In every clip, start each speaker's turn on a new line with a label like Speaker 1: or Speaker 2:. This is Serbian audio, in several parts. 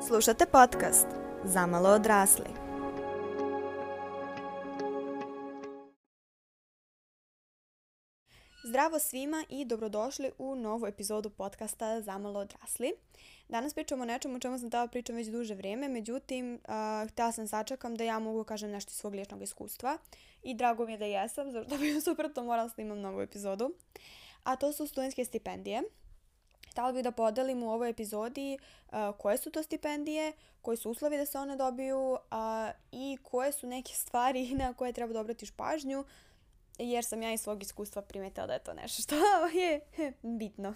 Speaker 1: Slušate podcast Zamalo odrasli. Zdravo svima i dobrodošli u novu epizodu podcasta Zamalo odrasli. Danas pričamo o nečemu o čemu sam htjela pričam već duže vrijeme, međutim, htjela sam sačekam da ja mogu kažem nešto iz svog ličnog iskustva i drago mi je da jesam, zašto bi suprotno morala snimam novu epizodu. A to su studentske stipendije. Htjela bih da podelim u ovoj epizodi koje su to stipendije, koji su uslovi da se one dobiju i koje su neke stvari na koje treba da obratiš pažnju, jer sam ja iz svog iskustva primetila da je to nešto što je bitno.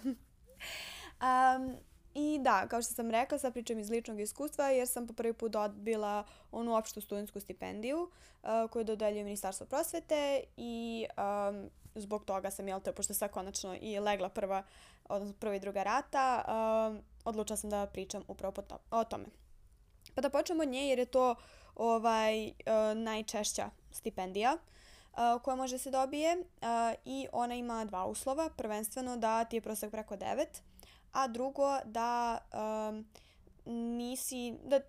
Speaker 1: I da, kao što sam rekla, sad pričam iz ličnog iskustva jer sam po prvi put dobila onu opštu studentsku stipendiju koju dodeljuje Ministarstvo prosvete i zbog toga sam, pošto sad konačno i legla prva i druga rata, odlučila sam da pričam upravo o tome. Pa da počnemo od nje jer je to najčešća stipendija koja može se dobije i ona ima dva uslova. Prvenstveno da ti je prosek preko 9, a drugo da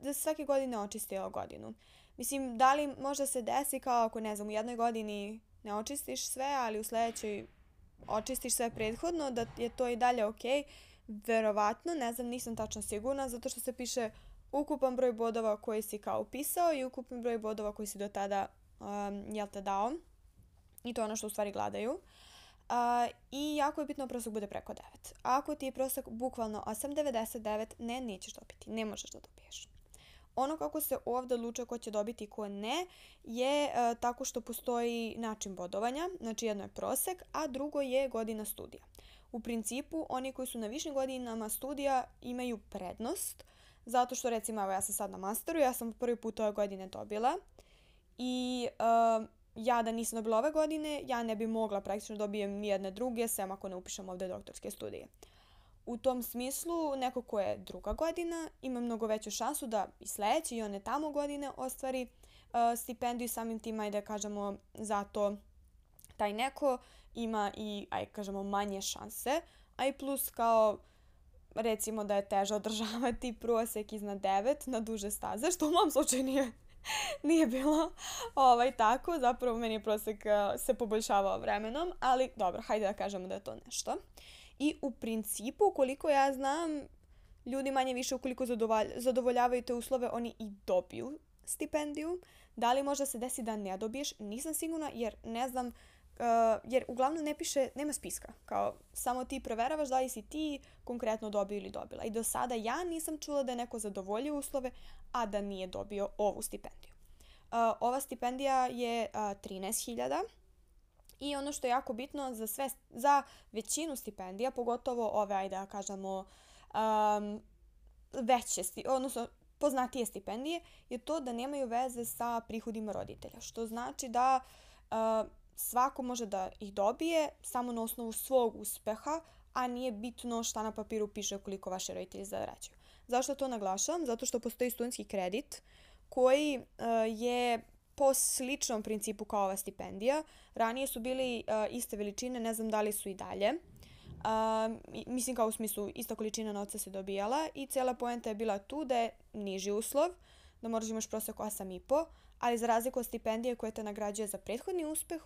Speaker 1: da svake godine očistila godinu. Mislim, da li možda se desi kao ako u jednoj godini ne očistiš sve, ali u sljedećoj očistiš sve prethodno, da je to i dalje ok. Verovatno, ne znam, nisam tačno sigurna, zato što se piše ukupan broj bodova koji si kao upisao i ukupan broj bodova koji si do tada dao. I to je ono što u stvari gledaju. I jako je bitno da prosek bude preko 9. Ako ti je prosek bukvalno 8,99, nećeš dobiti, ne možeš da dobiješ. Ono kako se ovdje odlučuje ko će dobiti i ko ne je tako što postoji način bodovanja, znači jedno je prosek, a drugo je godina studija. U principu, oni koji su na višim godinama studija imaju prednost, zato što recimo ja sam sad na masteru, ja sam prvi put ove godine dobila i ja da nisam dobila ove godine, ja ne bi mogla praktično dobijem nijedne druge, sem ako ne upišem ovdje doktorske studije. U tom smislu, neko ko je druga godina ima mnogo veću šansu da i sljedeće i one tamo godine ostvari stipendiju i samim tim, ajde kažemo, zato taj neko ima i, ajde kažemo, manje šanse, a i plus kao recimo da je teže održavati prosek iznad 9 na duže staze, što u mom slučaju nije bilo tako. Zapravo meni je prosek se poboljšavao vremenom, ali dobro, hajde da kažemo da je to nešto. I u principu, koliko ja znam, ljudi manje više ukoliko zadovoljavaju te uslove, oni i dobiju stipendiju. Da li možda se desi da ne dobiješ, nisam sigurna jer ne znam, jer uglavnom ne piše, nema spiska. Kao samo ti proveravaš da li si ti konkretno dobio ili dobila. I do sada ja nisam čula da je neko zadovoljio uslove, a da nije dobio ovu stipendiju. Ova stipendija je 13.000. I ono što je jako bitno za većinu stipendija, pogotovo ove, ajde da kažemo, odnosno poznatije stipendije, je to da nemaju veze sa prihodima roditelja. Što znači da svako može da ih dobije samo na osnovu svog uspeha, a nije bitno šta na papiru piše koliko vaši roditelji zarađuju. Zašto to naglašavam? Zato što postoji studentski kredit koji je po sličnom principu kao ova stipendija. Ranije su bili iste veličine, ne znam da li su i dalje. Mislim kao u smislu ista količina novca se dobijala i cijela poenta je bila tu da je niži uslov, da moraš imaš prosek 8,5, ali za razliku od stipendije koje te nagrađuje za prethodni uspeh,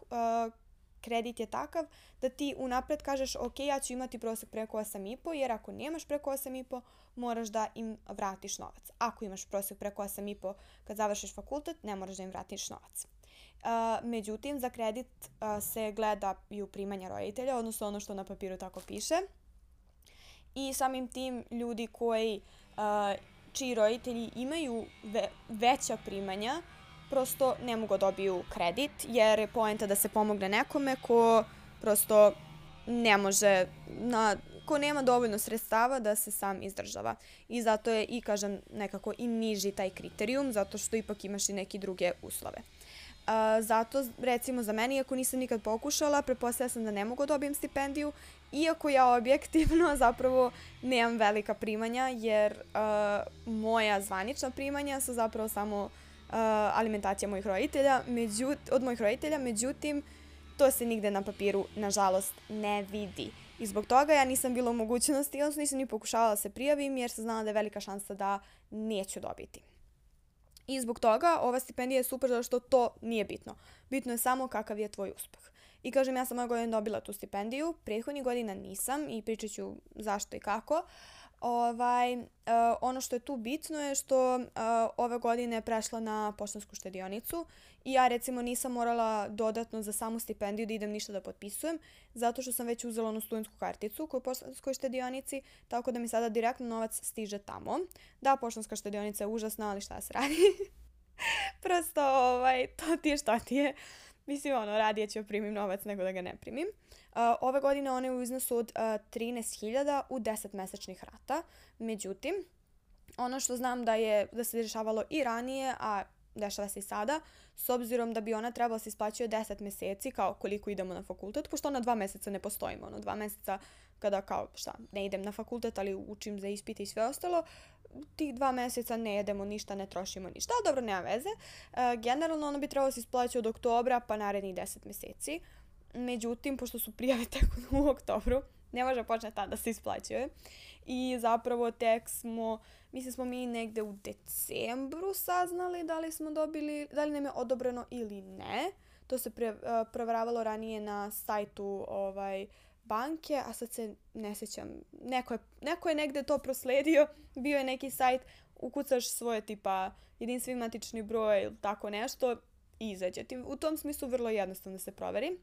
Speaker 1: kredit je takav da ti unapred kažeš ok, ja ću imati prosek preko 8,5, jer ako nemaš preko 8,5 moraš da im vratiš novac. Ako imaš prosek preko 8,5 kad završiš fakultet, ne moraš da im vratiš novac. Međutim, za kredit se gledaju primanja roditelja, odnosno ono što na papiru tako piše. I samim tim ljudi čiji roditelji imaju veća primanja, prosto ne mogu dobiju kredit, jer je poenta da se pomogne nekome ko prosto ne može, ko nema dovoljno sredstava da se sam izdržava. I zato je i, kažem, nekako i niži taj kriterijum, zato što ipak imaš i neke druge uslove. Zato, recimo, za meni, iako nisam nikad pokušala, pretpostavila sam da ne mogu dobijem stipendiju, iako ja objektivno zapravo nemam velika primanja, jer moja zvanična primanja su zapravo samo alimentacija od mojih roditelja, međutim, to se nigde na papiru, nažalost, ne vidi. I zbog toga ja nisam bila u mogućnosti, odnosno nisam ni pokušavala da se prijavim jer sam znala da je velika šansa da neću dobiti. I zbog toga ova stipendija je super zato što to nije bitno. Bitno je samo kakav je tvoj uspeh. I kažem, ja sam ove godine dobila tu stipendiju, prethodnih godina nisam i pričat ću zašto i kako. Ono što je tu bitno je što ove godine je prešla na Poštansku štedionicu i ja recimo nisam morala dodatno za samu stipendiju da idem ništa da potpisujem, zato što sam već uzela onu studentsku karticu kod Poštanskoj štedionici, tako da mi sada direktno novac stiže tamo. Da, Poštanska štedionica je užasna, ali šta se radi? Prosto, to ti je šta ti je. Mislim, radije ću primim novac nego da ga ne primim. Ove godine one je u iznosu od 13.000 u 10 mesečnih rata. Međutim, ono što znam da se dešavalo i ranije, a dešava se i sada, s obzirom da bi ona trebala se isplaćuje 10 meseci, kao koliko idemo na fakultet, pošto ona 2 meseca ne postojimo. 2 meseca kada ne idem na fakultet, ali učim za ispite i sve ostalo, tih 2 meseca ne jedemo ništa, ne trošimo ništa, ali dobro, nema veze. Generalno ono bi trebalo se isplaćati od oktobra pa narednih 10 meseci. Međutim, pošto su prijave tek u oktobru, ne može početi tada da se isplaćuje. I zapravo tek smo mi negde u decembru saznali da li nam je odobreno ili ne. To se proveravalo ranije na sajtu banke, a sad se ne sjećam. Neko je negde to prosledio, bio je neki sajt, ukucaš svoje tipa jedinstveni matični broj ili tako nešto i izađe ti. U tom smislu vrlo jednostavno da se proveri.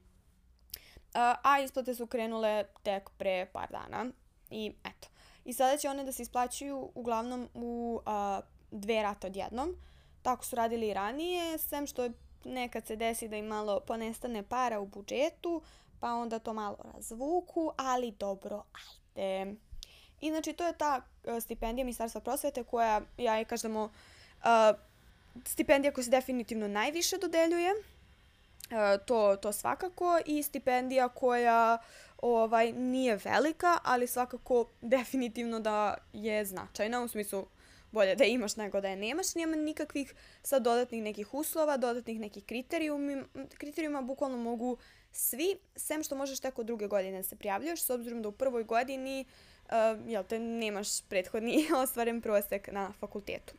Speaker 1: A isplate su krenule tek pre par dana i eto. I sada će one da se isplaćuju uglavnom u 2 rate odjednom. Tako su radili i ranije, sem što nekad se desi da im malo ponestane para u budžetu, pa onda to malo razvuku, ali dobro, ajde. I znači to je ta stipendija Ministarstva prosvete koja, ja je kažemo, stipendija koja se definitivno najviše dodeljuje. To svakako, i stipendija koja nije velika, ali svakako definitivno da je značajna, u smislu bolje da imaš nego da je nemaš. Nema nikakvih sad dodatnih nekih uslova, dodatnih nekih kriterijuma, bukvalno mogu svi, sem što možeš tek od druge godine da se prijavljuješ, s obzirom da u prvoj godini nemaš prethodni ostvaren prosek na fakultetu.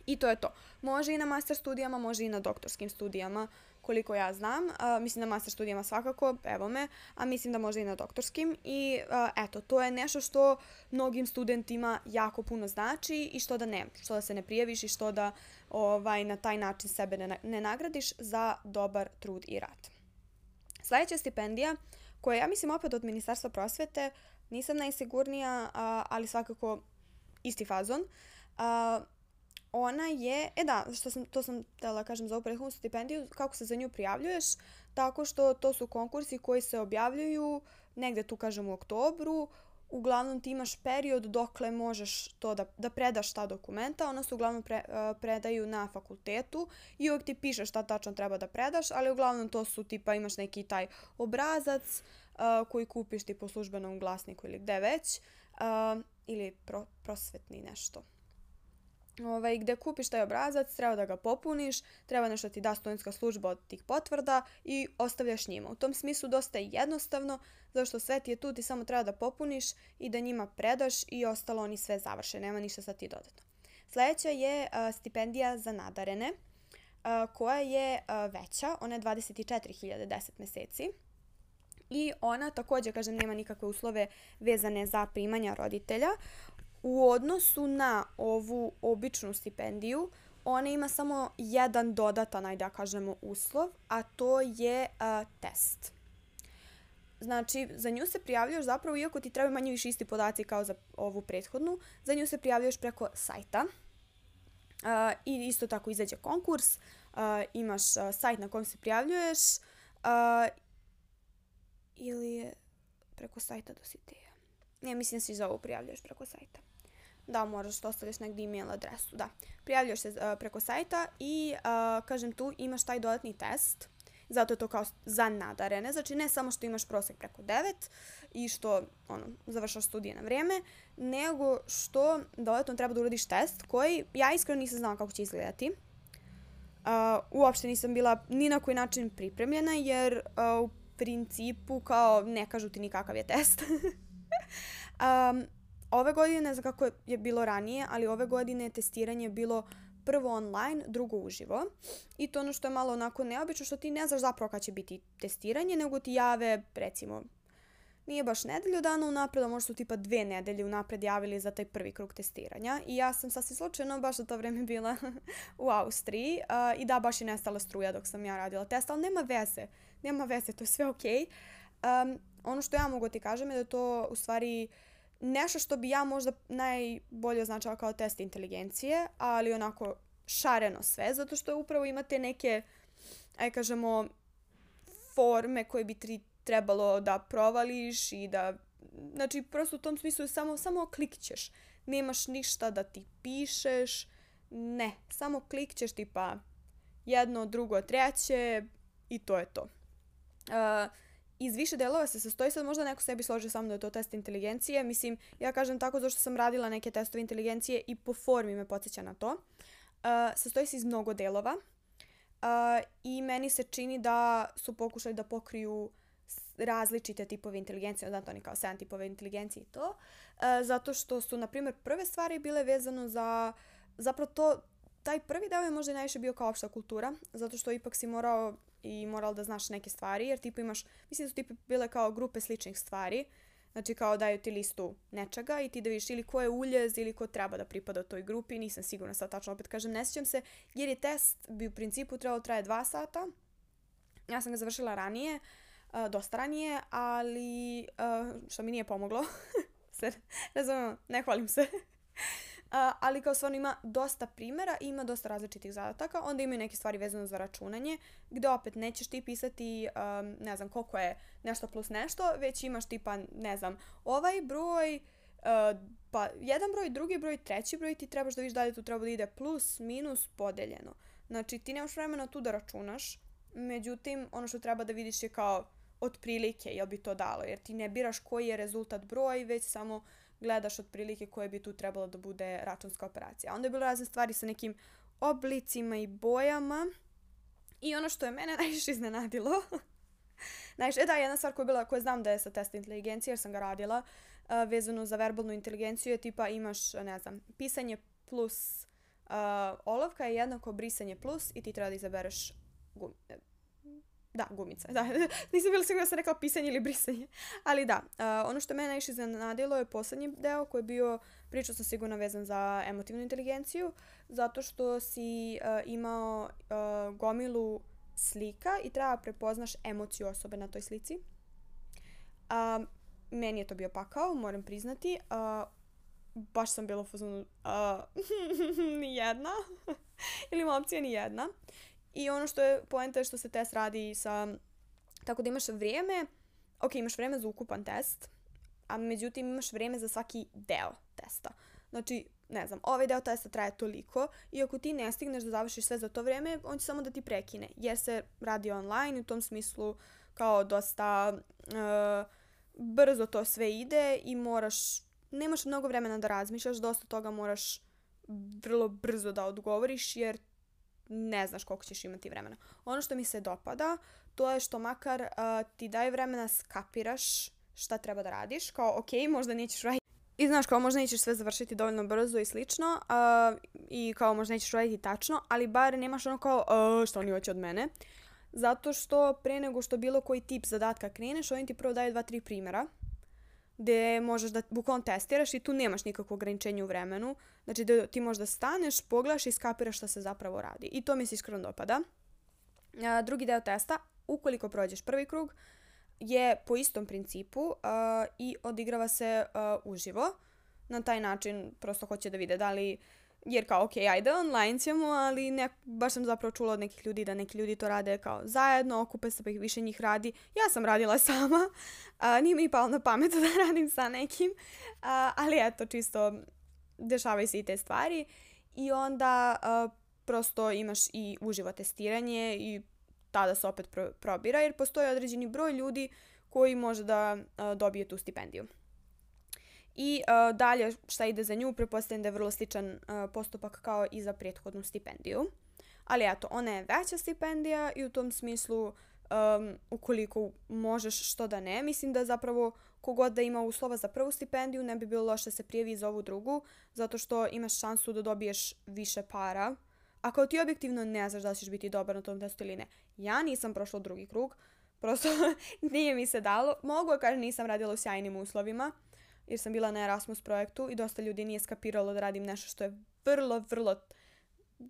Speaker 1: I to je to. Može i na master studijama, može i na doktorskim studijama, koliko ja znam. Mislim na master studijama svakako, evo me, a mislim da može i na doktorskim. I eto, to je nešto što mnogim studentima jako puno znači i što da se ne prijaviš i što da na taj način sebe ne nagradiš za dobar trud i rad. Sljedeća stipendija, koja ja mislim opet od Ministarstva prosvete, nisam najsigurnija, ali svakako isti fazon. Ona je, to sam htjela kažem za ovu prethodnu stipendiju, kako se za nju prijavljuješ, tako što to su konkursi koji se objavljuju negde tu kažem u oktobru. Uglavnom ti imaš period dokle možeš to da predaš ta dokumenta, ona se uglavnom predaju na fakultetu i uvijek ti piše šta tačno treba da predaš, ali uglavnom to su tipa imaš neki taj obrazac koji kupiš ti po službenom glasniku ili gde već, ili prosvetni nešto. Gde kupiš taj obrazac, treba da ga popuniš, treba nešto ti da studentska služba od tih potvrda i ostavljaš njima. U tom smislu dosta je jednostavno, zato što sve ti je tu, ti samo treba da popuniš i da njima predaš i ostalo oni sve završe, nema ništa sad ti dodatno. Sljedeća je stipendija za nadarene, koja je veća, ona je 24.000 10 meseci. I ona također, kažem, nema nikakve uslove vezane za primanja roditelja. U odnosu na ovu običnu stipendiju, ona ima samo jedan dodatan, ajde da kažemo, uslov, a to je test. Znači, za nju se prijavljuješ zapravo, iako ti trebaju manje više isti podaci kao za ovu prethodnu, za nju se prijavljuješ preko sajta. I isto tako izađe konkurs, imaš sajt na kojem se prijavljuješ, ili je preko sajta Dositeja. Ne, mislim da se za ovo prijavljuješ preko sajta. Da, moraš da ostaviš negdje email adresu, da. Prijavljuješ se preko sajta i, kažem, tu imaš taj dodatni test, zato je to kao za nadarene, znači ne samo što imaš prosek preko 9 i što, završaš studije na vrijeme, nego što dodatno treba da uradiš test koji, ja iskreno nisam znala kako će izgledati. Uopšte nisam bila ni na koji način pripremljena, jer principu kao ne kažu ti ni kakav je test. Ove godine, ne znam kako je bilo ranije, ali ove godine je testiranje bilo prvo online, drugo uživo. I to ono što je malo onako neobično, što ti ne znaš zapravo kad će biti testiranje, nego ti jave, recimo, nije baš nedelju dana unapred, a možda su tipa 2 nedelje unapred javili za taj prvi krug testiranja. I ja sam sasvim slučajno baš u to vreme bila u Austriji i da, baš je nestala struja dok sam ja radila test, ali nema veze, to je sve okej. Ono što ja mogu ti kažem je da to u stvari nešto što bi ja možda najbolje označala kao test inteligencije, ali onako šareno sve, zato što upravo imate neke, aj kažemo, forme koje bi ti trebalo da provališ i da, znači prosto u tom smislu samo klikćeš. Nemaš ništa da ti pišeš, ne, samo klikćeš tipa jedno, drugo, treće i to je to. Iz više delova se sastoji, sad možda neko sebi složi samo da je to test inteligencije. Mislim, ja kažem tako zato što sam radila neke testove inteligencije i po formi me podsjeća na to. Sastoji se iz mnogo delova i meni se čini da su pokušali da pokriju različite tipove inteligencije, znači oni kao 7 tipove inteligencije i to, zato što su, na primjer, prve stvari bile vezano za, zapravo taj prvi deo je možda najviše bio kao opšta kultura, zato što ipak si morala da znaš neke stvari, jer tipa imaš, mislim da su tipa bile kao grupe sličnih stvari, znači kao daju ti listu nečega i ti da vidiš ili ko je uljez ili ko treba da pripada toj grupi, nisam sigurna sad tačno, opet kažem, ne sjećam se, jer je test bi u principu trebalo traje 2 sata, ja sam ga završila ranije, dosta ranije, ali što mi nije pomoglo, ne hvalim se. Ali kao stvarno ima dosta primjera i ima dosta različitih zadataka. Onda imaju neke stvari vezane za računanje, gdje opet nećeš ti pisati, ne znam koliko je nešto plus nešto, već imaš tipa, ne znam, ovaj broj, pa jedan broj, drugi broj, treći broj, ti trebaš da vidiš da li tu treba da ide plus, minus, podeljeno. Znači ti nemaš vremena tu da računaš, međutim ono što treba da vidiš je kao otprilike jel bi to dalo, jer ti ne biraš koji je rezultat broj, već samo gledaš otprilike koje bi tu trebalo da bude računska operacija. Onda je bilo razne stvari sa nekim oblicima i bojama. I ono što je mene najviše iznenadilo, jedna stvar koja je bila, koju znam da je sa testa inteligencije, jer sam ga radila, vezano za verbalnu inteligenciju je tipa imaš, ne znam, pisanje plus olovka je jednako brisanje plus i ti treba da izabereš gumica. Da, nisam bila sigurna da sam rekla pisanje ili brisanje. Ali da, ono što mene najviše iznenadilo je poslednji deo koji je bio, pričao sam sigurno vezan za emotivnu inteligenciju, zato što si imao gomilu slika i treba prepoznaš emociju osobe na toj slici. Meni je to bio pakao, moram priznati. Baš sam bila u fazonu nijedna. Ili ima opcija nijedna. I ono što je poenta je što se test radi tako da imaš vrijeme, imaš vrijeme za ukupan test, a međutim imaš vrijeme za svaki deo testa. Znači, ne znam, ovaj deo testa traje toliko i ako ti ne stigneš da završiš sve za to vrijeme, on će samo da ti prekine, jer se radi online i u tom smislu kao dosta brzo to sve ide i nemaš mnogo vremena da razmišljaš, dosta toga moraš vrlo brzo da odgovoriš jer ne znaš koliko ćeš imati vremena. Ono što mi se dopada, to je što makar ti daje vremena skapiraš šta treba da radiš. Kao, možda nećeš raditi. I znaš, kao možda nećeš sve završiti dovoljno brzo i slično. I kao možda nećeš raditi tačno, ali bar nemaš ono kao, što oni hoće od mene. Zato što pre nego što bilo koji tip zadatka kreneš, oni ti prvo daju 2-3 primjera gdje možeš da bukvalno testiraš i tu nemaš nikakvo ograničenje u vremenu. Znači da ti možda staneš, pogledaš i skapiraš šta se zapravo radi. I to mi se iskreno dopada. Drugi deo testa, ukoliko prođeš prvi krug, je po istom principu i odigrava se uživo. Na taj način prosto hoće da vide da li, jer kao ajde online ćemo, ali baš sam zapravo čula od nekih ljudi da neki ljudi to rade kao zajedno, okupe se pa ih više njih radi. Ja sam radila sama, nije mi palo na pamet da radim sa nekim, ali eto, čisto dešavaju se i te stvari i onda prosto imaš i uživo testiranje i tada se opet probira jer postoji određeni broj ljudi koji može da dobije tu stipendiju. I dalje šta ide za nju, pretpostavljam da je vrlo sličan postupak kao i za prethodnu stipendiju. Ali eto, ona je veća stipendija i u tom smislu ukoliko možeš, što da ne. Mislim da zapravo kogod da ima uslova za prvu stipendiju ne bi bilo loše da se prijavi za ovu drugu, zato što imaš šansu da dobiješ više para. A kao ti objektivno ne znaš da ćeš biti dobar na tom testu ili ne. Ja nisam prošla drugi krug, prosto nije mi se dalo. Mogu kažem nisam radila u sjajnim uslovima, jer sam bila na Erasmus projektu i dosta ljudi nije skapiralo da radim nešto što je vrlo, vrlo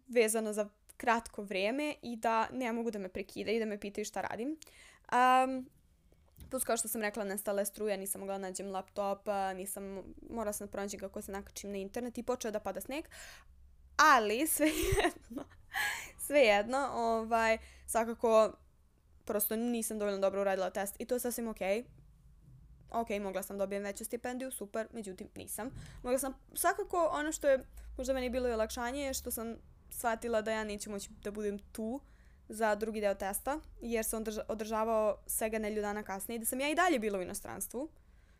Speaker 1: vezano za kratko vrijeme i da ne mogu da me prekidaju i da me pitaju šta radim. Plus kao što sam rekla, nestala je struja, nisam mogla nađem laptop, morala sam da pronađem kako se nakačim na internet i počeo da pada sneg. Ali svejedno, svakako prosto nisam dovoljno dobro uradila test i to je sasvim okej. Ok, mogla sam dobijem veću stipendiju, super, međutim nisam. Mogla sam, svakako ono što je možda meni bilo i olakšanje je što sam shvatila da ja neću moći da budem tu za drugi deo testa, jer se on održavao svega nedelju dana kasnije i da sam ja i dalje bila u inostranstvu,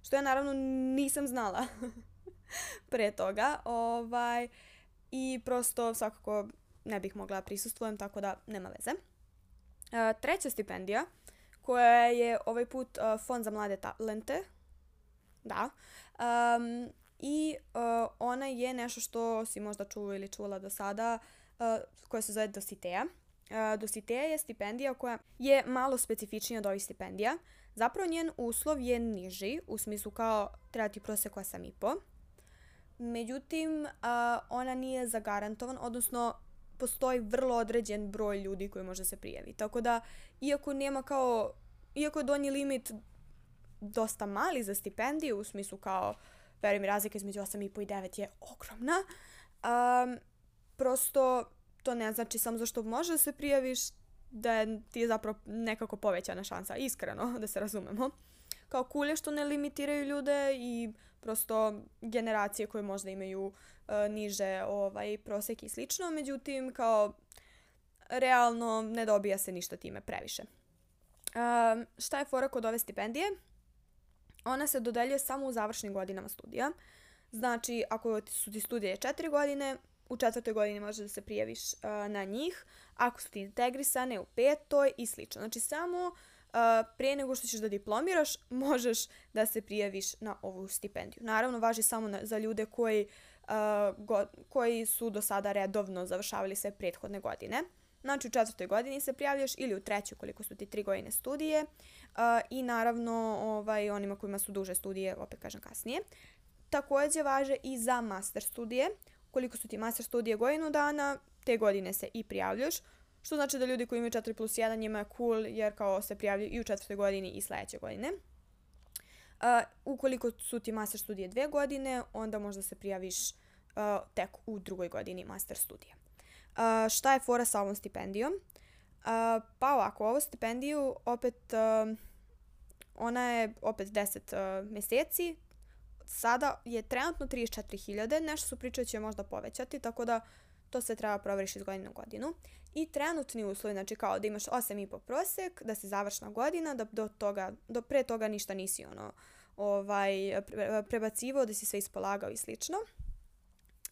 Speaker 1: što ja naravno nisam znala pre toga. I prosto svakako ne bih mogla prisustvujem, tako da nema veze. Treća stipendija, koja je ovaj put Fond za mlade talente. Da. Ona je nešto što si možda čuo ili čula do sada, koja se zove Dositeja. Dositeja je stipendija koja je malo specifičnija od ovih stipendija. Zapravo njen uslov je niži, u smislu kao treba ti prosek 8,5. Međutim, ona nije zagarantovan, odnosno postoji vrlo određen broj ljudi koji može se prijaviti. Tako da, iako je donji limit dosta mali za stipendiju, u smislu kao, verujem, razlika između 8,5 i 9 je ogromna, prosto to ne znači samo zašto možeš da se prijaviš, da ti je zapravo nekako povećana šansa, iskreno, da se razumemo. Kao cool je što ne limitiraju ljude i prosto generacije koje možda imaju niže prosek i slično, međutim kao realno ne dobija se ništa time previše. Šta je fora kod ove stipendije? Ona se dodeljuje samo u završnim godinama studija. Znači, ako su ti studije 4 godine, u 4. godini možeš da se prijaviš na njih. Ako su ti integrisane u 5. i slično. Znači, samo prije nego što ćeš da diplomiraš, možeš da se prijaviš na ovu stipendiju. Naravno, važi samo za ljude koji su do sada redovno završavali sve prethodne godine. Znači, u 4. godini se prijavljaš ili u 3. koliko su ti 3 godine studije i naravno onima kojima su duže studije, opet kažem kasnije. Također važe i za master studije. Koliko su ti master studije godinu dana, te godine se i prijavljaš. Što znači da ljudi koji imaju 4+1 njima je cool jer kao se prijavljaju i u 4. godini i sljedeće godine. Ukoliko su ti master studije 2 godine, onda možda se prijaviš tek u 2. godini master studija. Šta je fora sa ovom stipendijom? Pa ovako, ovu stipendiju ona je opet 10 mjeseci. Sada je trenutno 34.000, nešto su pričali će možda povećati, tako da to se treba provjeriš iz godine u godinu. I trenutni uslovi, znači kao da imaš 8,5 prosjek, da si završna godina, da do pre toga ništa nisi prebacivao, da si sve ispolagao i slično.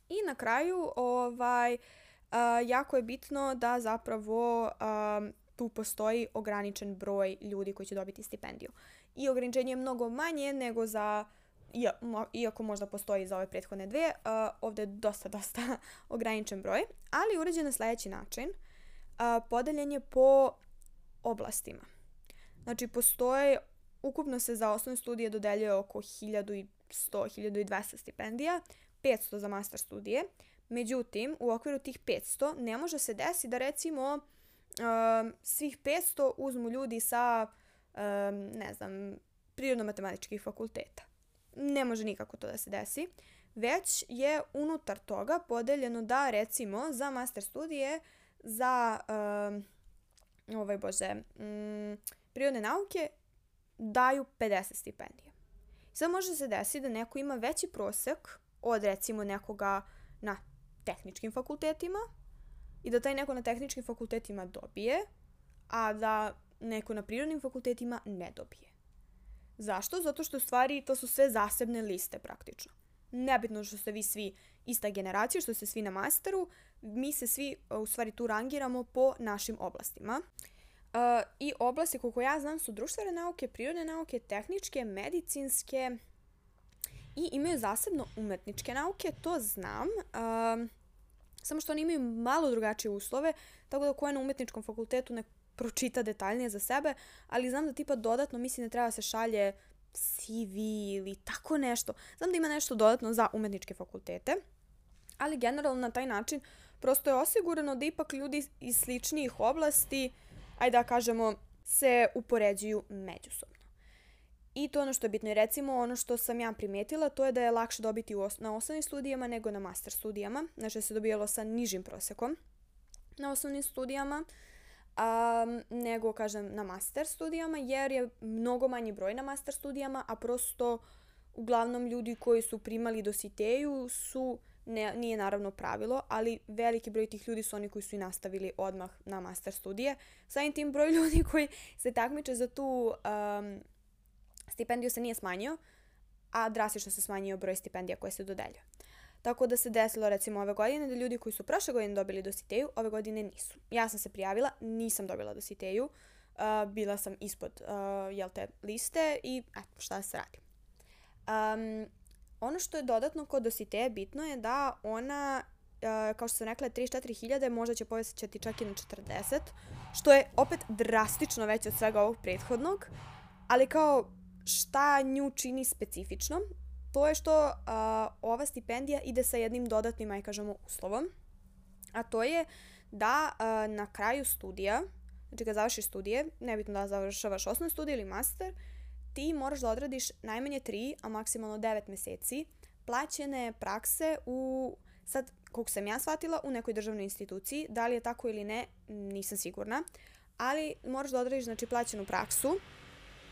Speaker 1: I na kraju, jako je bitno da zapravo tu postoji ograničen broj ljudi koji će dobiti stipendiju. I ograničenje je mnogo manje nego iako možda postoji za ove prethodne dve, ovdje je dosta ograničen broj, ali uređen na sljedeći način. Podeljen je po oblastima. Znači, ukupno se za osnovne studije dodeljuje oko 1100-1200 stipendija, 500 za master studije. Međutim, u okviru tih 500 ne može se desiti da recimo svih 500 uzmu ljudi sa, prirodno-matematičkih fakulteta. Ne može nikako to da se desi, već je unutar toga podeljeno da recimo za master studije za prirodne nauke daju 50 stipendija. Sad može se desiti da neko ima veći prosek od recimo nekoga na tehničkim fakultetima i da taj neko na tehničkim fakultetima dobije, a da neko na prirodnim fakultetima ne dobije. Zašto? Zato što u stvari to su sve zasebne liste praktično. Nebitno što ste vi svi ista generacija, što ste svi na masteru, mi se svi u stvari tu rangiramo po našim oblastima. I oblasti, koliko ja znam, su društvene nauke, prirodne nauke, tehničke, medicinske i imaju zasebno umetničke nauke, to znam. Samo što oni imaju malo drugačije uslove, tako da ko je na umetničkom fakultetu ne pročita detaljnije za sebe, ali znam da tipa dodatno mislim da treba se šalje CV ili tako nešto. Znam da ima nešto dodatno za umetničke fakultete, ali generalno na taj način prosto je osigurano da ipak ljudi iz sličnijih oblasti, ajde da kažemo, se upoređuju međusobno. I to ono što je bitno. I recimo ono što sam ja primetila, to je da je lakše dobiti na osnovnim studijama nego na master studijama. Znači da se dobijalo sa nižim prosekom na osnovnim studijama, nego, kažem, na master studijama, jer je mnogo manji broj na master studijama, a prosto uglavnom ljudi koji su primali dositeju su, nije naravno pravilo, ali veliki broj tih ljudi su oni koji su i nastavili odmah na master studije. Samim tim broj ljudi koji se takmiče za tu stipendiju se nije smanjio, a drastično se smanjio broj stipendija koje se dodeljuje. Tako da se desilo recimo ove godine da ljudi koji su prošle godine dobili dositeju, ove godine nisu. Ja sam se prijavila, nisam dobila dositeju, bila sam ispod liste i šta se radi. Ono što je dodatno kod dositeje bitno je da ona, kao što sam rekla, 34.000, možda će povećati čak i na 40, što je opet drastično veće od svega ovog prethodnog, ali kao šta nju čini specifičnom, to je što ova stipendija ide sa jednim dodatnim, aj kažemo, uslovom, a to je da na kraju studija, znači kad završiš studije, nebitno da završavaš osnovne studije ili master, ti moraš da odradiš najmanje 3, a maksimalno 9 meseci plaćene prakse sad, koliko sam ja shvatila, u nekoj državnoj instituciji. Da li je tako ili ne, nisam sigurna, ali moraš da odradiš, znači, plaćenu praksu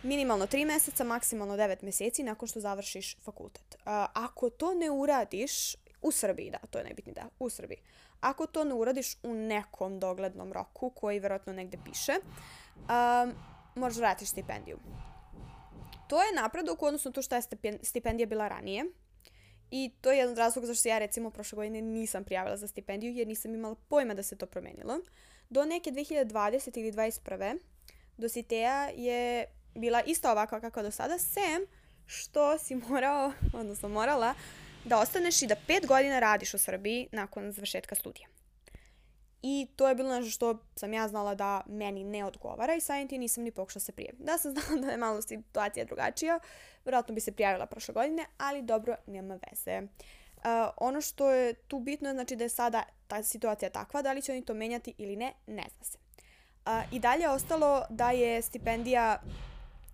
Speaker 1: minimalno 3 meseca, maksimalno 9 meseci nakon što završiš fakultet. Ako to ne uradiš u Srbiji, da, to je najbitnije, da, u Srbiji. Ako to ne uradiš u nekom doglednom roku, koji verovatno negde piše, možeš vratiti stipendiju. To je napredak u odnosu na to što je stipendija bila ranije. I to je jedan od razloga zašto se ja recimo prošle godine nisam prijavila za stipendiju, jer nisam imala pojma da se to promenilo. Do neke 2020. ili 2021. dositeja je bila isto ovakva kako do sada, sem što si morala da ostaneš i da 5 godina radiš u Srbiji nakon završetka studija. I to je bilo nešto što sam ja znala da meni ne odgovara i samim tim nisam ni pokušala se prijaviti. Da sam znala da je malo situacija drugačija, vjerojatno bi se prijavila prošle godine, ali dobro, nema veze. Ono što je tu bitno je, znači, da je sada ta situacija takva, da li će oni to menjati ili ne, ne zna se. I dalje je ostalo da je stipendija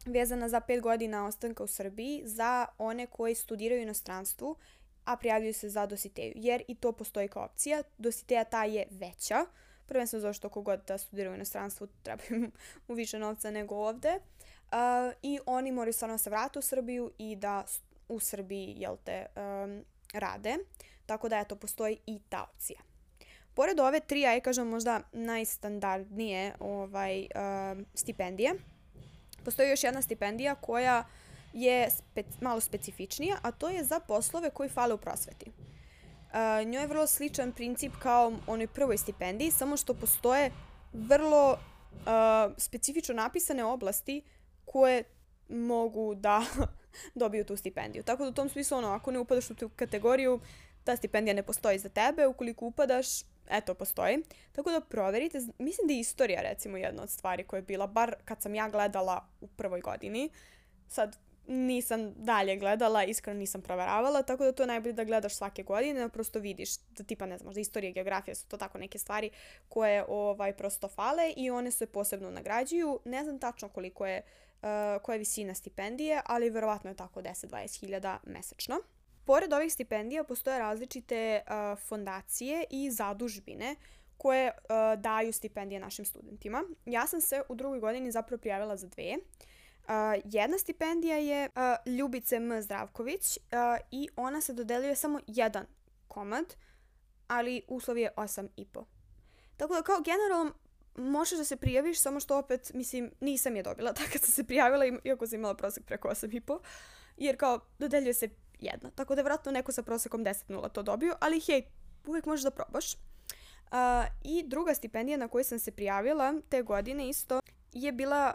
Speaker 1: vezana za 5 godina ostanka u Srbiji za one koji studiraju u inostranstvu, a prijavljuju se za dositeju, jer i to postoji kao opcija. Dositeja ta je veća, prvenstveno zato što kogod da studira u inostranstvu treba mu više novca nego ovde, i oni moraju stvarno se vratiti u Srbiju i da u Srbiji, rade, tako da eto, postoji i ta opcija. Pored ove 3, ja kažem možda najstandardnije stipendije, postoji još jedna stipendija koja je malo specifičnija, a to je za poslove koji fale u prosveti. Njoj je vrlo sličan princip kao onoj prvoj stipendiji, samo što postoje vrlo specifično napisane oblasti koje mogu da dobiju tu stipendiju. Tako da u tom smislu, ako ne upadaš u tu kategoriju, ta stipendija ne postoji za tebe. Ukoliko upadaš, eto, postoji. Tako da proverite. Mislim da je istorija, recimo, jedna od stvari koja je bila, bar kad sam ja gledala u prvoj godini. Sad nisam dalje gledala, iskreno nisam proveravala, tako da to je najbolje da gledaš svake godine, da prosto vidiš da tipa, ne znam, možda istorija i geografija su to tako neke stvari koje prosto fale i one se posebno nagrađuju. Ne znam tačno koliko je, koja je visina stipendije, ali verovatno je tako 10-20 hiljada mesečno. Pored ovih stipendija postoje različite fondacije i zadužbine koje daju stipendije našim studentima. Ja sam se u drugoj godini zapravo prijavila za 2. Jedna stipendija je Ljubice M. Zdravković i ona se dodeljuje samo jedan komad, ali uslov je 8,5. Tako da kao generalno možeš da se prijaviš, samo što opet, mislim, nisam je dobila tako kad sam se prijavila, iako sam imala prosek preko 8,5, jer kao dodeljuje se jedna. Tako da je vjerojatno neko sa prosekom 10,0 to dobio, ali hej, uvijek možeš da probaš. I druga stipendija na koju sam se prijavila te godine isto je bila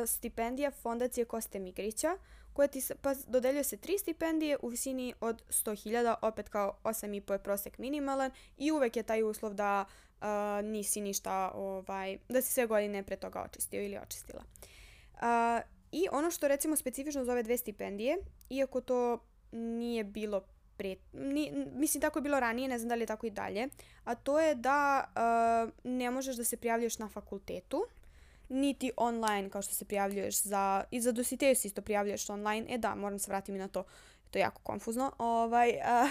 Speaker 1: stipendija Fondacije Koste Migrića, koja pa dodeljuje se 3 stipendije u visini od 100.000, opet kao 8,5 je prosek minimalan i uvek je taj uslov da nisi ništa, da si sve godine pre toga očistio ili očistila. I ono što recimo specifično za ove 2 stipendije, iako to nije bilo mislim tako je bilo ranije, ne znam da li je tako i dalje, a to je da ne možeš da se prijavljuješ na fakultetu, niti online kao što se prijavljuješ i za dositeju se isto prijavljuješ online. Da, moram se vratiti na to. To je jako konfuzno.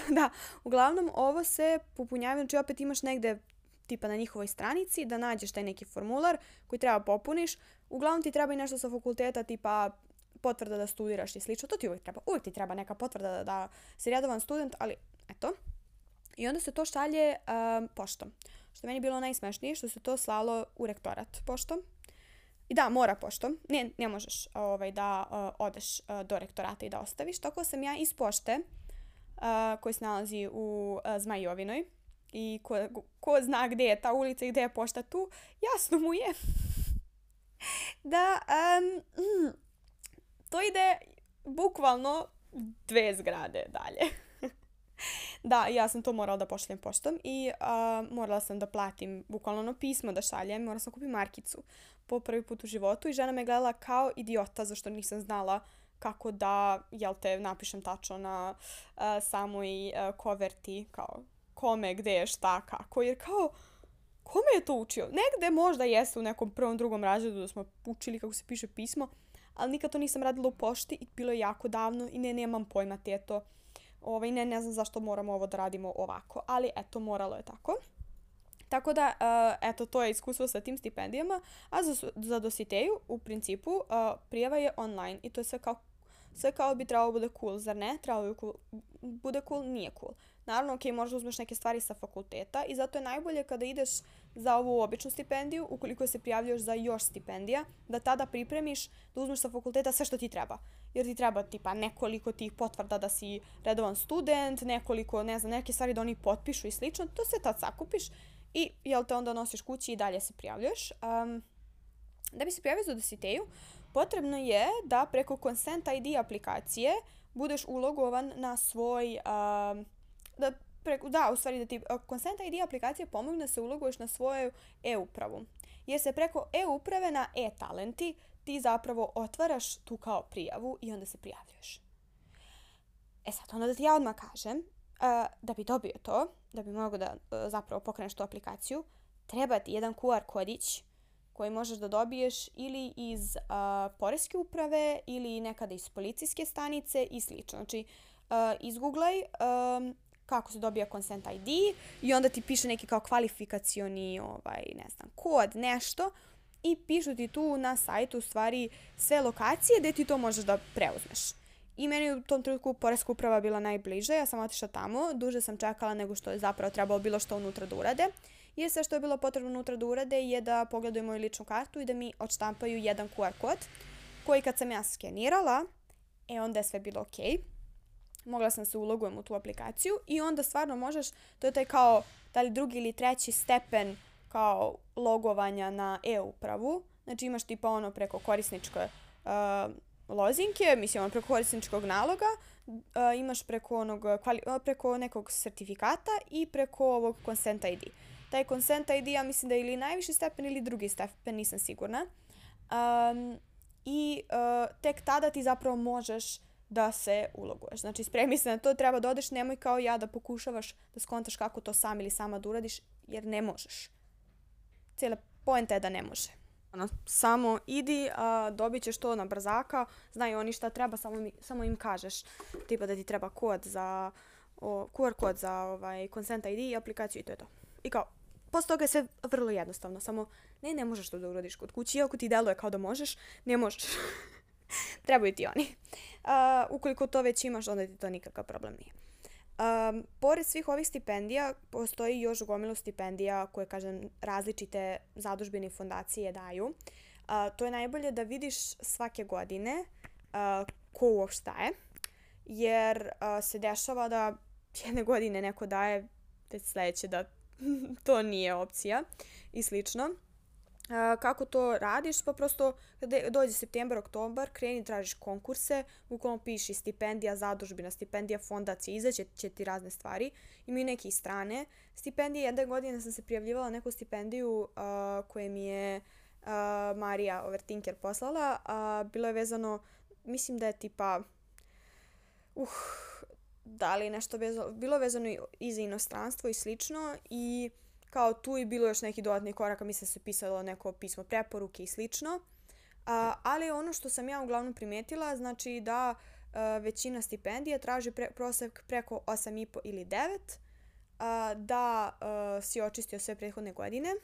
Speaker 1: Da, uglavnom ovo se popunjava, znači opet imaš negde tipa na njihovoj stranici da nađeš taj neki formular koji treba popuniš. Uglavnom ti treba i nešto sa fakulteta, tipa potvrda da studiraš i slično. To ti uvijek treba. Uvijek ti treba neka potvrda da si redovan student, ali eto. I onda se to šalje poštom. Što meni je bilo najsmešnije, što se to slalo u rektorat poštom. I da, mora poštom. Ne možeš da odeš do rektorata i da ostaviš. Tako sam ja iz pošte, koji se nalazi u Zmajovinoj, i ko zna gde je ta ulica i gde je pošta tu, jasno mu je da to ide bukvalno 2 zgrade dalje. Da, ja sam to morala da pošaljem poštom i morala sam da platim bukvalno ono pismo da šaljem, morala sam kupiti markicu po prvi put u životu i žena me gledala kao idiota zašto nisam znala kako da, napišem tačno na samoj koverti, kao kome, gde je, šta, kako, jer kao, kome je to učio? Negde možda jeste u nekom prvom, drugom razredu da smo učili kako se piše pismo, ali nikad to nisam radila u pošti i bilo je jako davno i nemam pojma teto. Ne znam zašto moramo ovo da radimo ovako, ali eto, moralo je tako. Tako da, eto, to je iskustvo sa tim stipendijama, a za dositeju, u principu, prijava je online i to je sve kao bi trebalo bude cool, zar ne? Trebalo bi bude cool, nije cool. Naravno, možda uzmeš neke stvari sa fakulteta i zato je najbolje kada ideš za ovu običnu stipendiju, ukoliko se prijavljuješ za još stipendija, da tada pripremiš, da uzmeš sa fakulteta sve što ti treba. Jer ti treba tipa nekoliko tih potvrda da si redovan student, nekoliko, ne znam, neke stvari da oni potpišu i slično, to sve tad sakupiš i onda nosiš kući i dalje se prijavljuješ. Da bi se prijavio za dositeju, potrebno je da preko Consent ID aplikacije budeš ulogovan na svoj, da ti Consent ID aplikacija pomogne da se uloguješ na svoju e-upravu. Jer se preko e-uprave na e-talenti ti zapravo otvaraš tu kao prijavu i onda se prijavljuješ. Sad, onda da ti ja odmah kažem, da bi dobio to, da bi mogao da zapravo pokreneš tu aplikaciju, treba ti jedan QR kodić koji možeš da dobiješ ili iz poreske uprave ili nekada iz policijske stanice i slično. Znači, izgooglaj kako se dobija Consent ID i onda ti piše neki kao kvalifikacioni kod, nešto i pišu ti tu na sajtu u stvari sve lokacije gde ti to možeš da preuzmeš. I meni u tom trenutku poreska uprava bila najbliže, ja sam otišla tamo, duže sam čekala nego što je zapravo trebalo bilo što unutra da urade. Jer sve što je bilo potrebno unutra da urade je da pogledaju moju ličnu kartu i da mi odštampaju jedan QR kod koji kad sam ja skenirala, onda je sve bilo okej. Mogla sam se ulogujem u tu aplikaciju i onda stvarno možeš, to je taj kao da li drugi ili treći stepen kao logovanja na e-upravu. Znači imaš tipa preko korisničke lozinke, preko korisničkog naloga, imaš preko nekog sertifikata i preko ovog Consent ID. Taj Consent ID ja mislim da je ili najviši stepen ili drugi stepen, nisam sigurna. I tek tada ti zapravo možeš da se uloguješ. Znači, spremi se na to, treba da odeš, nemoj kao ja da pokušavaš da skontaš kako to sam ili sama da uradiš, jer ne možeš. Cijela poenta je da ne može. Samo idi, dobit ćeš to na brzaka, znaju oni šta treba, samo im kažeš. Tipa da ti treba QR kod za Consent ID i aplikaciju i to je to. I kao, posle toga je sve vrlo jednostavno, samo ne možeš to da uradiš kod kući, iako ti deluje kao da možeš, ne možeš. Trebaju ti oni. Ukoliko to već imaš, onda ti to nikakav problem nije. Pored svih ovih stipendija, postoji još gomilu stipendija koje, kažem, različite zadužbine i fondacije daju. To je najbolje da vidiš svake godine ko uopšte daje, jer se dešava da jedne godine neko daje, te sledeće da to nije opcija i slično. Kako to radiš? Pa prosto kada dođe septembar, oktobar, kreni tražiš konkurse, bukvalno piši stipendija, zadužbina, stipendija, fondacija, izaće će ti razne stvari. Imaju neke i strane stipendije. Jedne godine sam se prijavljivala neku stipendiju koje mi je Marija Overtinker poslala. Bilo je vezano, mislim da je tipa, da li nešto bilo vezano i za inostranstvo i slično i kao tu je bilo još neki dodatni koraka, mislim se pisalo neko pismo preporuke i slično. Ali ono što sam ja uglavnom primetila, znači da većina stipendija traži prosek preko 8,5 ili 9, da si očistio sve prethodne godine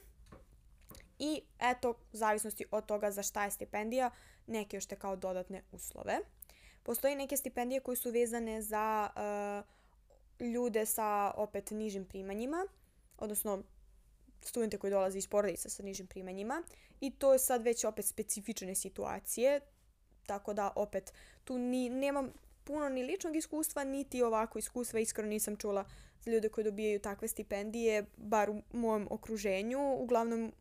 Speaker 1: i eto, u zavisnosti od toga za šta je stipendija, neke još te kao dodatne uslove. Postoji neke stipendije koje su vezane za ljude sa opet nižim primanjima, odnosno studente koji dolaze iz porodica sa nižim primanjima i to je sad već opet specifične situacije, tako da opet tu nemam puno ni ličnog iskustva, niti ovako iskustva, iskreno nisam čula za ljude koji dobijaju takve stipendije, bar u mojem okruženju, uglavnom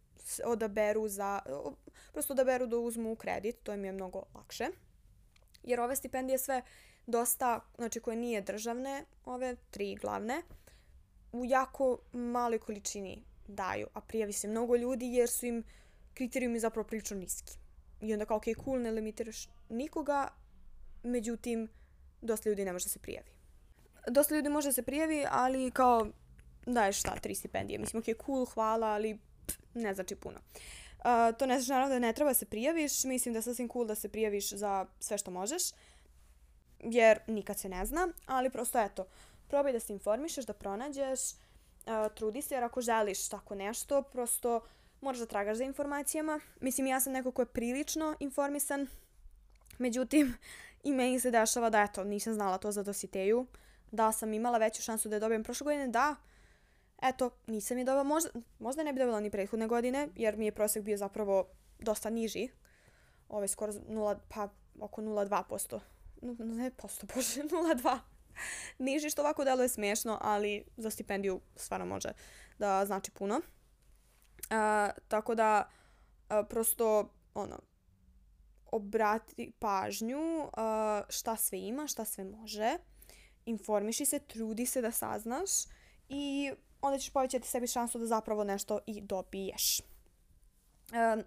Speaker 1: prosto odaberu da uzmu kredit, to im je mnogo lakše. Jer ove stipendije sve dosta, znači koje nije državne, ove 3 glavne, u jako maloj količini daju, a prijavi se mnogo ljudi jer su im kriterijumi zapravo prilično niski. I onda kao, ok, cool, ne limitiraš nikoga, međutim, dosta ljudi ne može da se prijavi. Dosta ljudi može da se prijavi, ali kao, daješ 3 stipendije. Mislim, ok, cool, hvala, ali ne znači puno. To ne znači naravno da ne treba se prijaviš, mislim da je sasvim cool da se prijaviš za sve što možeš, jer nikad se ne zna, ali prosto eto, probaj da se informišeš, da pronađeš, trudi se, jer ako želiš tako nešto, prosto moraš da tragaš za informacijama. Mislim, ja sam neko ko je prilično informisan, međutim, i meni se dešava da eto, nisam znala to za Dositeju, da sam imala veću šansu da je dobijem prošle godine, da, eto, nisam je dobila, možda ne bi dobila ni prethodne godine, jer mi je prosek bio zapravo dosta niži. Skoro oko 0,2%. Ne posto, bože, 0,2. Niži, što ovako deluje smiješno, ali za stipendiju stvarno može da znači puno. Tako da, prosto, obrati pažnju šta sve ima, šta sve može. Informiši se, trudi se da saznaš i onda ćeš povećati sebi šansu da zapravo nešto i dobiješ.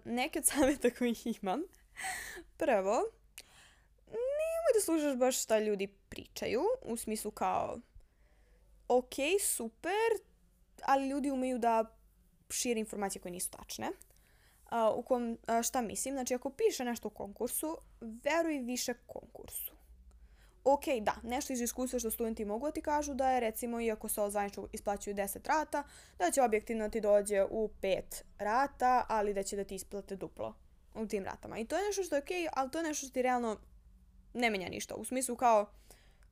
Speaker 1: Neke od savjeta koje imam. Prvo, nemoj da slušaš baš šta ljudi pričaju, u smislu kao, ok, super, ali ljudi umeju da šire informacije koje nisu tačne. Šta mislim? Znači, ako piše nešto u konkursu, veruj više konkursu. Ok, da, nešto iz iskustva što studenti mogu da ti kažu da je, recimo, iako se zvanično isplaćuju 10 rata, da će objektivno ti dođe u 5 rata, ali da će da ti isplate duplo u tim ratama. I to je nešto što je ok, ali to je nešto što ti realno ne menja ništa. U smislu kao,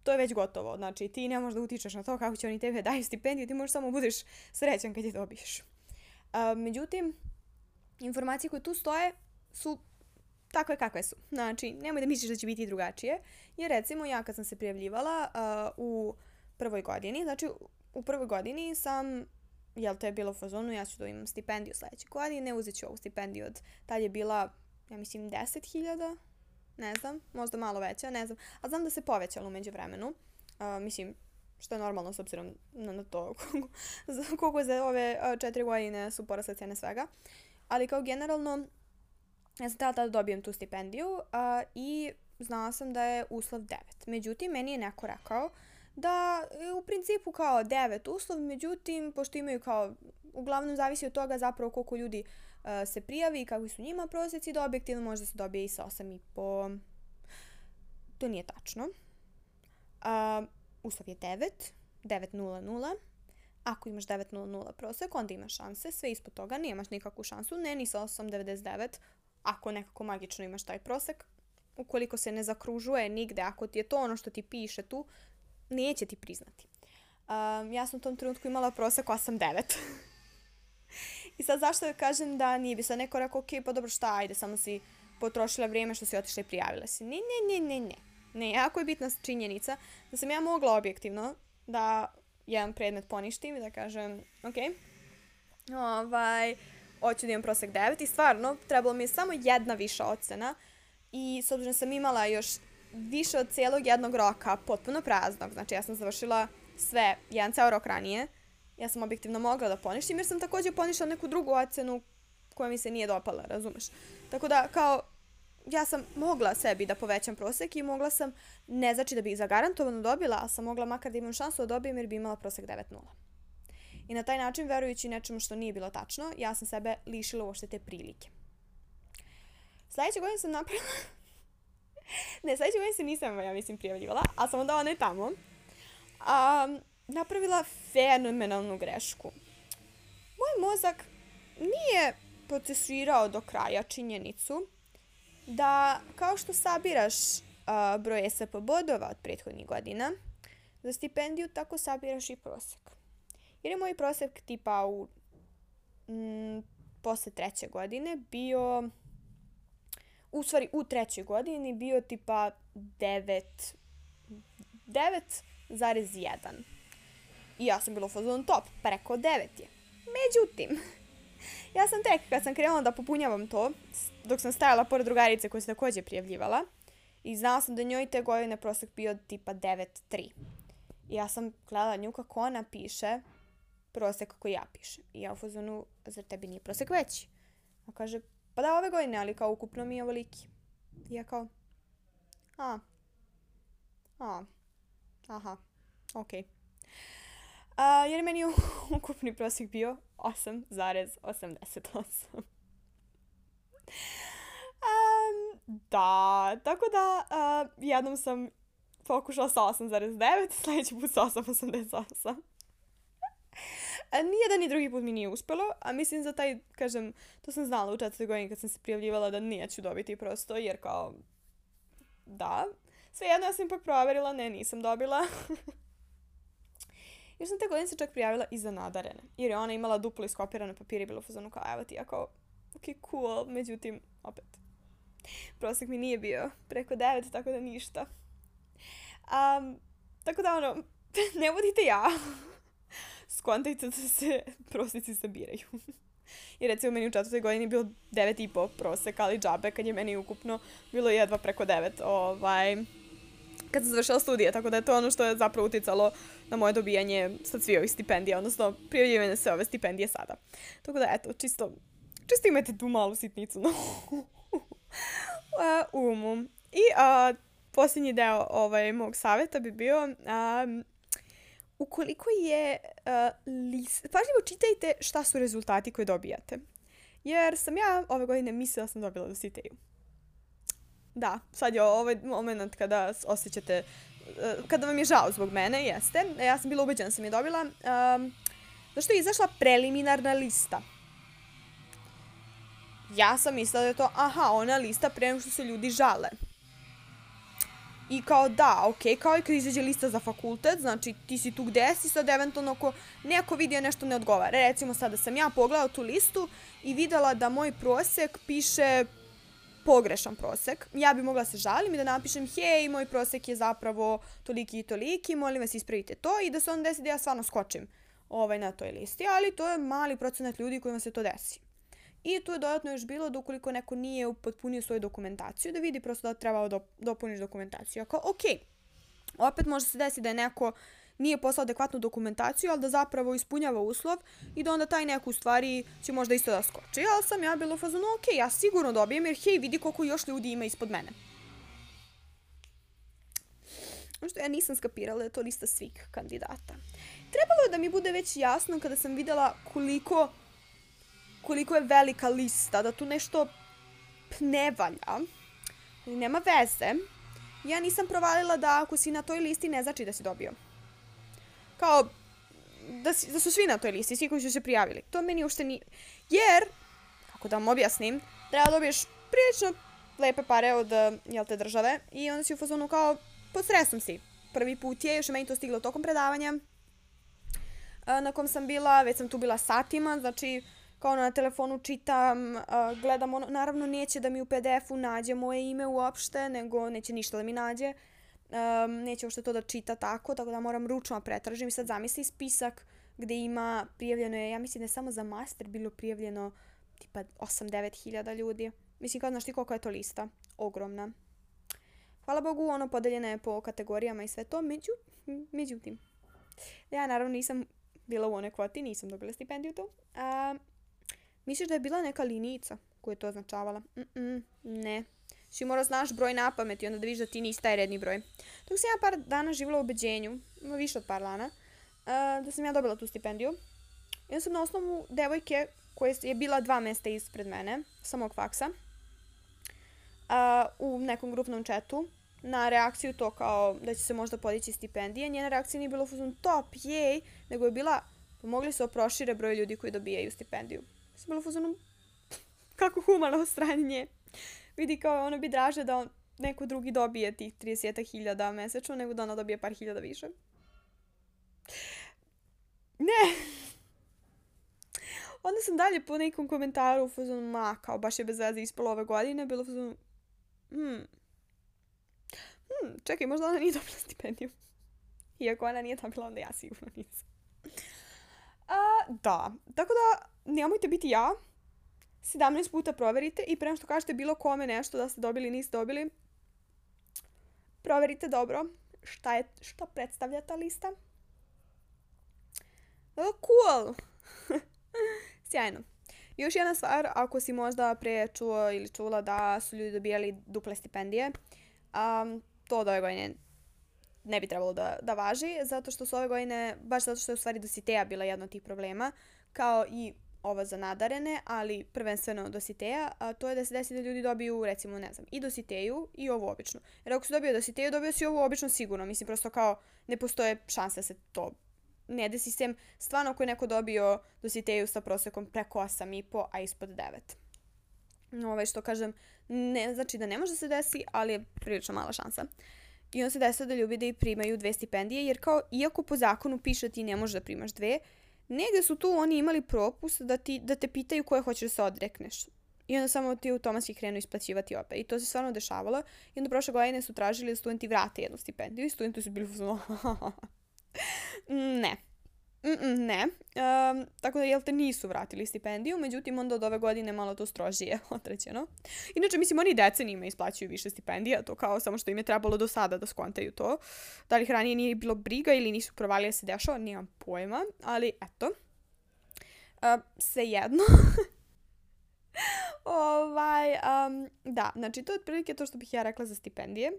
Speaker 1: to je već gotovo. Znači, ti ne možeš da utičeš na to kako će oni tebe daju stipendiju, ti možeš samo budeš srećan kad je dobiješ. Međutim, informacije koje tu stoje su takve kakve su. Znači, nemoj da misliš da će biti drugačije. Jer recimo, ja kad sam se prijavljivala u prvoj godini, znači u prvoj godini sam, to je bilo u fazonu, ja ću da imam stipendiju sljedeće godine, uzet ću ovu stipendiju tad je bila, ja mislim, 10.000, ne znam, možda malo veća, ne znam, a znam da se povećalo u međuvremenu, mislim, što je normalno s obzirom na to koliko za ove 4 godine su porasle cene svega, ali kao generalno, ja sam tada dobijem tu stipendiju i znala sam da je uslov 9. Međutim, meni je neko rekao da je u principu kao 9 uslov, međutim, pošto imaju kao, uglavnom zavisi od toga zapravo koliko ljudi se prijavi i kakvi su njima prosjeci, da objektivno možda se dobije i sa 8,5. To nije tačno. Uslov je 9,00. Ako imaš 9,00 prosek, onda imaš šanse. Sve ispod toga nemaš nikakvu šansu, ne ni sa 8,99. Ako nekako magično imaš taj prosek, ukoliko se ne zakružuje nigde, ako ti je to ono što ti piše tu, neće ti priznati. Ja sam u tom trenutku imala prosek 8,9. I sad zašto kažem da nije bi sad neko rekao, ok, pa dobro šta, ajde, samo si potrošila vrijeme što si otišla i prijavila si. Ne, jako je bitna činjenica da sam ja mogla objektivno da jedan predmet poništim i da kažem, ok, hoću da imam prosek 9 i stvarno trebalo mi je samo jedna viša ocena i s obzirom sam imala još više od cijelog jednog roka potpuno praznog, znači ja sam završila sve jedan ceo rok ranije, ja sam objektivno mogla da poništim jer sam također poništila neku drugu ocenu koja mi se nije dopala, razumeš? Tako da kao ja sam mogla sebi da povećam prosek i mogla sam, ne znači da bih zagarantovano dobila, ali sam mogla makar da imam šansu da dobijem jer bi imala prosek 9.0. I na taj način, verujući nečemu što nije bilo tačno, ja sam sebe lišila uopšte te prilike. Sljedeće godine sam napravila... ne, sljedeće godine se nisam, ja mislim, prijavljivala, ali sam onda ona je tamo. Napravila fenomenalnu grešku. Moj mozak nije procesuirao do kraja činjenicu da kao što sabiraš broj ESP bodova od prethodnih godina, za stipendiju tako sabiraš i prosek. Jer je moj prosek tipa posle treće godine bio, u stvari u trećoj godini bio tipa 9,1. I ja sam bila u fazonu top, preko 9 je. Međutim, ja sam tek kad sam krenula da popunjavam to, dok sam stajala pored drugarice koja se također prijavljivala, i znala sam da njoj te godine prosek bio tipa 9,3. I ja sam gledala nju kako ona piše prosek koji ja pišem. I ja u fazonu, zar tebi nije prosek veći? A kaže, pa da, ove godine, ali kao ukupno mi je ovoliki. I ja kao, aha, okej. Jer je meni ukupni prosjek bio 8,88. Da, tako da jednom sam pokušala sa 8,9, sljedeći put sa 8,88. Nijedan i drugi put mi nije uspjelo, a mislim za taj, kažem, to sam znala u 4. godini kad sam se prijavljivala da neću dobiti prosto, jer kao, da, svejedno ja sam ipak proverila, nisam dobila. Jer sam te godine se čak prijavila i za nadarene, jer je ona imala duplo iskopirane papire i bilo u fazonu kao, evo ti, ja kao, ok, cool, međutim, opet, prosjek mi nije bio preko 9, tako da ništa. Tako da, ono, ne budite ja. Skontajte da se prosjeci sabiraju. I recimo meni u 4. godini bilo 9,5 prosek, ali džabe kad je meni ukupno bilo jedva preko 9 kad sam završila studije, tako da je to ono što je zapravo uticalo na moje dobijanje sad svi ovih stipendija, odnosno prijavljivanje sve ove stipendije sada. Tako da eto, čisto imajte tu malu sitnicu na umu. I posljednji deo mog savjeta bi bio ukoliko je pažljivo čitajte šta su rezultati koje dobijate. Jer sam ja ove godine mislila sam dobila dositeju. Da, sad je ovaj moment kada osjećate, kada vam je žao zbog mene, jeste. Ja sam bila ubeđena da sam je dobila. Zašto je izašla preliminarna lista? Ja sam mislila da je to, ona lista pre nego što se ljudi žale. I kao da, ok, kao i kad izađe lista za fakultet, znači ti si tu gde si, sad eventualno ako neko vidio nešto ne odgovara. Recimo sada sam ja pogledala tu listu i videla da moj prosek piše pogrešan prosek. Ja bi mogla se žalim i da napišem, hej, moj prosek je zapravo toliki i toliki, molim vas ispravite to i da se onda desi da ja stvarno skočim na toj listi, ali to je mali procenat ljudi kojima se to desi. I tu je dodatno još bilo da ukoliko neko nije upotpunio svoju dokumentaciju, da vidi prosto da treba dopuniš dokumentaciju. Ako, ok, opet može se desiti da je neko nije poslao adekvatnu dokumentaciju, ali da zapravo ispunjava uslov i da onda taj neko u stvari će možda isto da skoči. Ali sam ja bila u fazonu, ok, ja sigurno dobijem jer hej, vidi koliko još ljudi ima ispod mene. Ono što ja nisam skapirala je to lista svih kandidata. Trebalo je da mi bude već jasno kada sam videla koliko je velika lista, da tu nešto ne valja, nema veze. Ja nisam provalila da ako si na toj listi ne znači da si dobio. Kao, da su svi na toj listi, svi koji su se prijavili. To meni uopšte nije. Jer, kako da vam objasnim, treba da dobiješ prilično lepe pare od države i onda si u fazonu kao pod stresom si. Prvi put je, još je meni to stiglo tokom predavanja na kom sam bila, već sam tu bila satima, znači kao na telefonu čitam, gledam ono, naravno neće da mi u PDF-u nađe moje ime uopšte, nego neće ništa da mi nađe. Neće uopšte to da čita tako da moram ručno pretražim i sad zamisli spisak gdje ima prijavljeno je, ja mislim da je samo za master bilo prijavljeno tipa 8-9 hiljada ljudi. Mislim, kao znaš ti koliko je to lista? Ogromna. Hvala Bogu, ono podeljena je po kategorijama i sve to, međutim. Ja naravno nisam bila u onoj kvoti, nisam dobila stipendiju tu. Misliš da je bila neka linijica koja je to označavala? Ne. Ši mora znaš broj na pamet i onda da vidiš da ti nisi taj redni broj. Dok sam ja par dana živjela u ubeđenju, više od par dana, da sam ja dobila tu stipendiju. I onda sam na osnovu devojke koja je bila 2 mjesta ispred mene, sa mog faksa, u nekom grupnom chatu, na reakciju to kao da će se možda podići stipendije. Njena reakcija nije bila u top, jej, nego je bila, mogli se prošire broj ljudi koji dobijaju stipendiju. Sam bila u fazonu, kako humano od strane nje. Vidi kao ono bi draže da neko drugi dobije tih 30.000 mesečno, nego da ona dobije par hiljada više. Ne. Onda sam dalje po nekom komentaru u fazonu, kao baš je bez veze ispalo ove godine, bilo u fazonu, čekaj, možda ona nije dobila stipendiju. Iako ona nije dobila, onda ja sigurno nisam. Da, tako da nemojte biti ja. 17 puta proverite i prema što kažete bilo kome nešto da ste dobili, niste dobili, proverite dobro šta predstavlja ta lista. Cool! Sjajno. Još jedna stvar, ako si možda pre čuo ili čula da su ljudi dobijali duple stipendije, to od ove godine ne bi trebalo da važi, zato što su ove godine, baš zato što je u stvari Dositeja bila jedna od tih problema, kao i ovo za nadarene, ali prvenstveno Dositeja, a to je da se desi da ljudi dobiju, recimo, ne znam, i Dositeju i ovu običnu. Jer ako si dobio Dositeju, dobio si ovu običnu sigurno. Mislim, prosto kao ne postoje šanse da se to ne desi, sem stvarno ako je neko dobio Dositeju sa prosekom preko 8,5, a ispod 9. Što kažem, ne znači da ne može se desi, ali je prilično mala šansa. I onda se desi da ljudi primaju 2 stipendije, jer kao, iako po zakonu piše ti ne možeš da primaš 2, negde su tu oni imali propust da te pitaju koje hoćeš da se odrekneš. I onda samo ti automatski krenu isplaćivati opet. I to se stvarno dešavalo. I onda prošle godine su tražili da studenti vrate jednu stipendiju i studenti su bili ne. Ne. Tako da, jel te, nisu vratili stipendiju, međutim, onda od ove godine malo to strožije određeno. Inače, mislim, oni decenijima isplaćuju više stipendija, to kao samo što im je trebalo do sada da skontaju to. Da li ranije nije bilo briga ili nisu provali da se dešava, nemam pojma, ali eto. Svejedno. Da, znači, to je otprilike to što bih ja rekla za stipendije.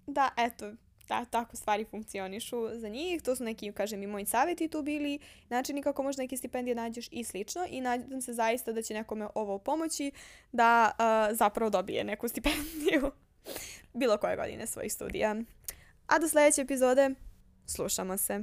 Speaker 1: Da, eto. Da, tako stvari funkcionišu za njih. To su neki, kažem, i moji savjeti tu bili. Načini kako možda neke stipendije nađeš i slično. I nadam se zaista da će nekome ovo pomoći da zapravo dobije neku stipendiju bilo koje godine svojih studija. A do sljedeće epizode slušamo se.